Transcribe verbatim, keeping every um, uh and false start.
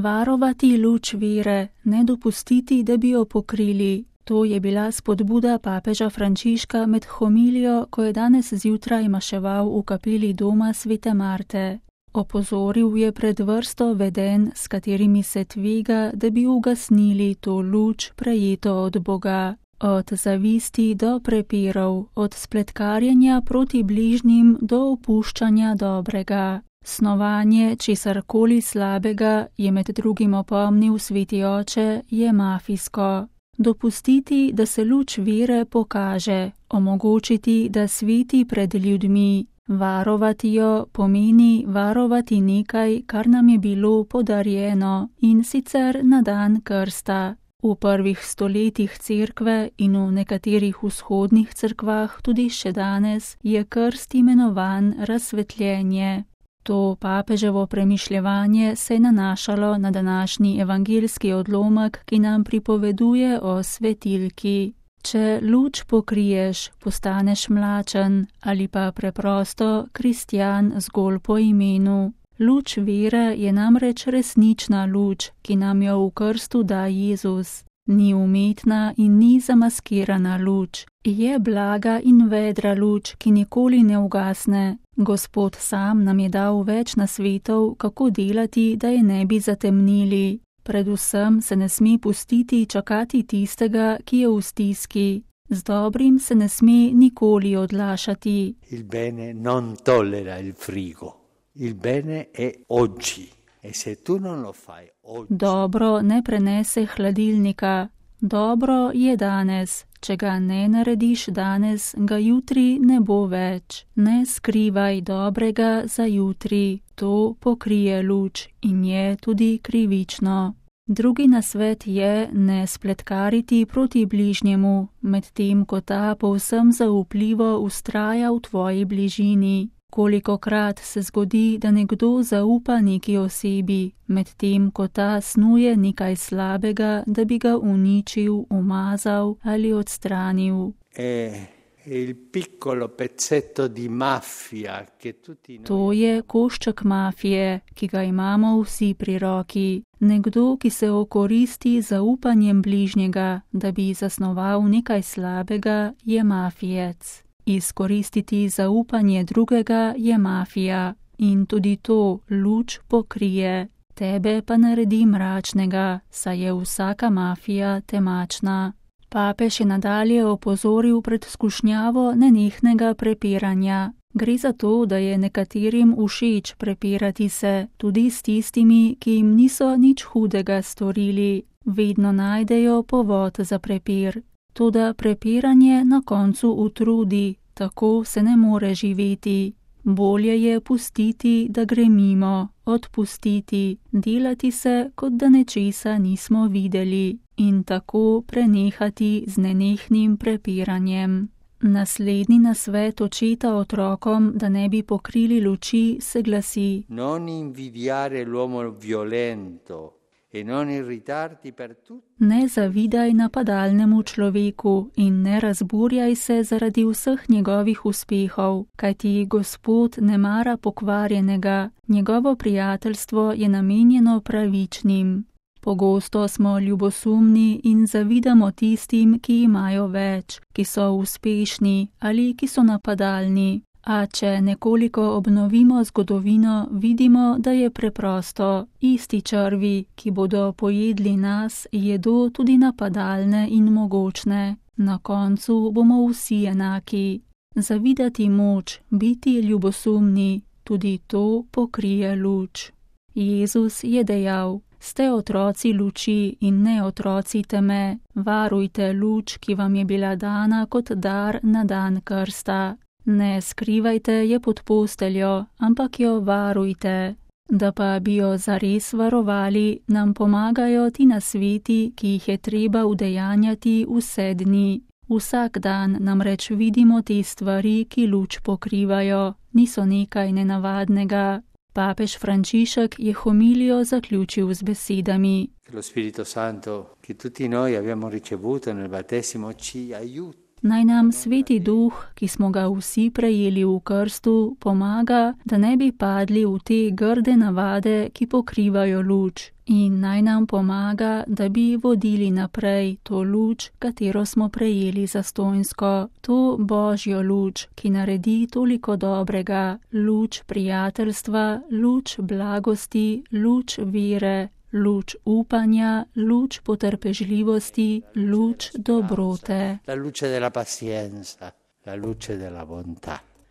Varovati luč vere, ne dopustiti, da bi jo pokrili. To je bila spodbuda papeža Frančiška med homilijo, ko je danes zjutraj maševal v kapeli doma svete Marte. Opozoril je pred vrsto vedenj, s katerimi se tvega, da bi ugasnili to luč, prejeto od Boga. Od zavisti do prepirov, od spletkarjenja proti bližnjim do opuščanja dobrega. Snovanje česarkoli slabega, je med drugim opomnil sveti oče, je mafijsko. Dopustiti, da se luč vere pokaže, omogočiti, da sveti pred ljudmi. Varovati jo pomeni varovati nekaj, kar nam je bilo podarjeno, in sicer na dan krsta. V prvih stoletjih cerkve in v nekaterih vzhodnih cerkvah tudi še danes je krst imenovan razsvetljenje. To papeževo premišljevanje se je nanašalo na današnji evangeljski odlomek, ki nam pripoveduje o svetilki. Če luč pokriješ, postaneš mlačen ali pa preprosto kristjan zgolj po imenu. Luč vere je namreč resnična luč, ki nam jo v krstu da Jezus. Ni umetna in ni zamaskirana luč. Je blaga in vedra luč, ki nikoli ne ugasne. Gospod sam nam je dal več nasvetov, kako delati, da je ne bi zatemnili. Predvsem se ne sme pustiti čakati tistega, ki je v stiski. Z dobrim se ne sme nikoli odlašati. Il bene non tollera il frigo. Il bene è oggi. E se tu non lo fai oggi... Dobro ne prenese hladilnika. Dobro je danes. Če ga ne narediš danes, ga jutri ne bo več. Ne skrivaj dobrega za jutri. To pokrije luč in je tudi krivično. Drugi nasvet je ne spletkariti proti bližnjemu, medtem ko ta povsem zaupljivo vztraja v tvoji bližini. Kolikokrat se zgodi, da nekdo zaupa neki osebi, medtem ko ta snuje nekaj slabega, da bi ga uničil, umazal ali odstranil. E, il piccolo pezzetto di mafia, che tutti noi... To je košček mafije, ki ga imamo vsi pri roki. Nekdo, ki se okoristi zaupanjem bližnjega, da bi zasnoval nekaj slabega, je mafijec. Izkoristiti zaupanje drugega je mafija in tudi to luč pokrije. Tebe pa naredi mračnega, saj je vsaka mafija temačna. Papež je nadalje opozoril pred skušnjavo nenehnega prepiranja. Gre za to, da je nekaterim všeč prepirati se, tudi s tistimi, ki jim niso nič hudega storili. Vedno najdejo povod za prepir. Toda prepiranje na koncu utrudi, tako se ne more živeti. Bolje je pustiti, da gre mimo, odpustiti, delati se, kot da nečesa nismo videli in tako prenehati z nenehnim prepiranjem. Naslednji nasvet očeta otrokom, da ne bi pokrili luči, se glasi: Non invidiare l'uomo violento. Ne zavidaj napadalnemu človeku in ne razburjaj se zaradi vseh njegovih uspehov, kajti Gospod ne mara pokvarjenega, njegovo prijateljstvo je namenjeno pravičnim. Pogosto smo ljubosumni in zavidamo tistim, ki imajo več, ki so uspešni ali ki so napadalni. A če nekoliko obnovimo zgodovino, vidimo, da je preprosto. Isti črvi, ki bodo pojedli nas, jedo tudi napadalne in mogočne. Na koncu bomo vsi enaki. Zavidati moč, biti ljubosumni, tudi to pokrije luč. Jezus je dejal: Ste otroci luči in ne otroci teme. Varujte luč, ki vam je bila dana kot dar na dan krsta. Ne skrivajte je pod posteljo, ampak jo varujte. Da pa bi jo zares varovali, nam pomagajo ti nasveti, ki jih je treba udejanjati vse dni. Vsak dan namreč vidimo te stvari, ki luč pokrivajo, niso nekaj nenavadnega. Papež Frančišek je homilijo zaključil z besedami: Lo Spirito Santo, ki tutti noi abbiamo ricevuto nel battesimo, ci aiuta. Naj nam Sveti Duh, ki smo ga vsi prejeli v krstu, pomaga, da ne bi padli v te grde navade, ki pokrivajo luč. In naj nam pomaga, da bi vodili naprej to luč, katero smo prejeli zastonjsko, to Božjo luč, ki naredi toliko dobrega, luč prijateljstva, luč blagosti, luč vere, luč upanja, luč potrpežljivosti, luč dobrote. La luce della pazienza, la luce della bontà.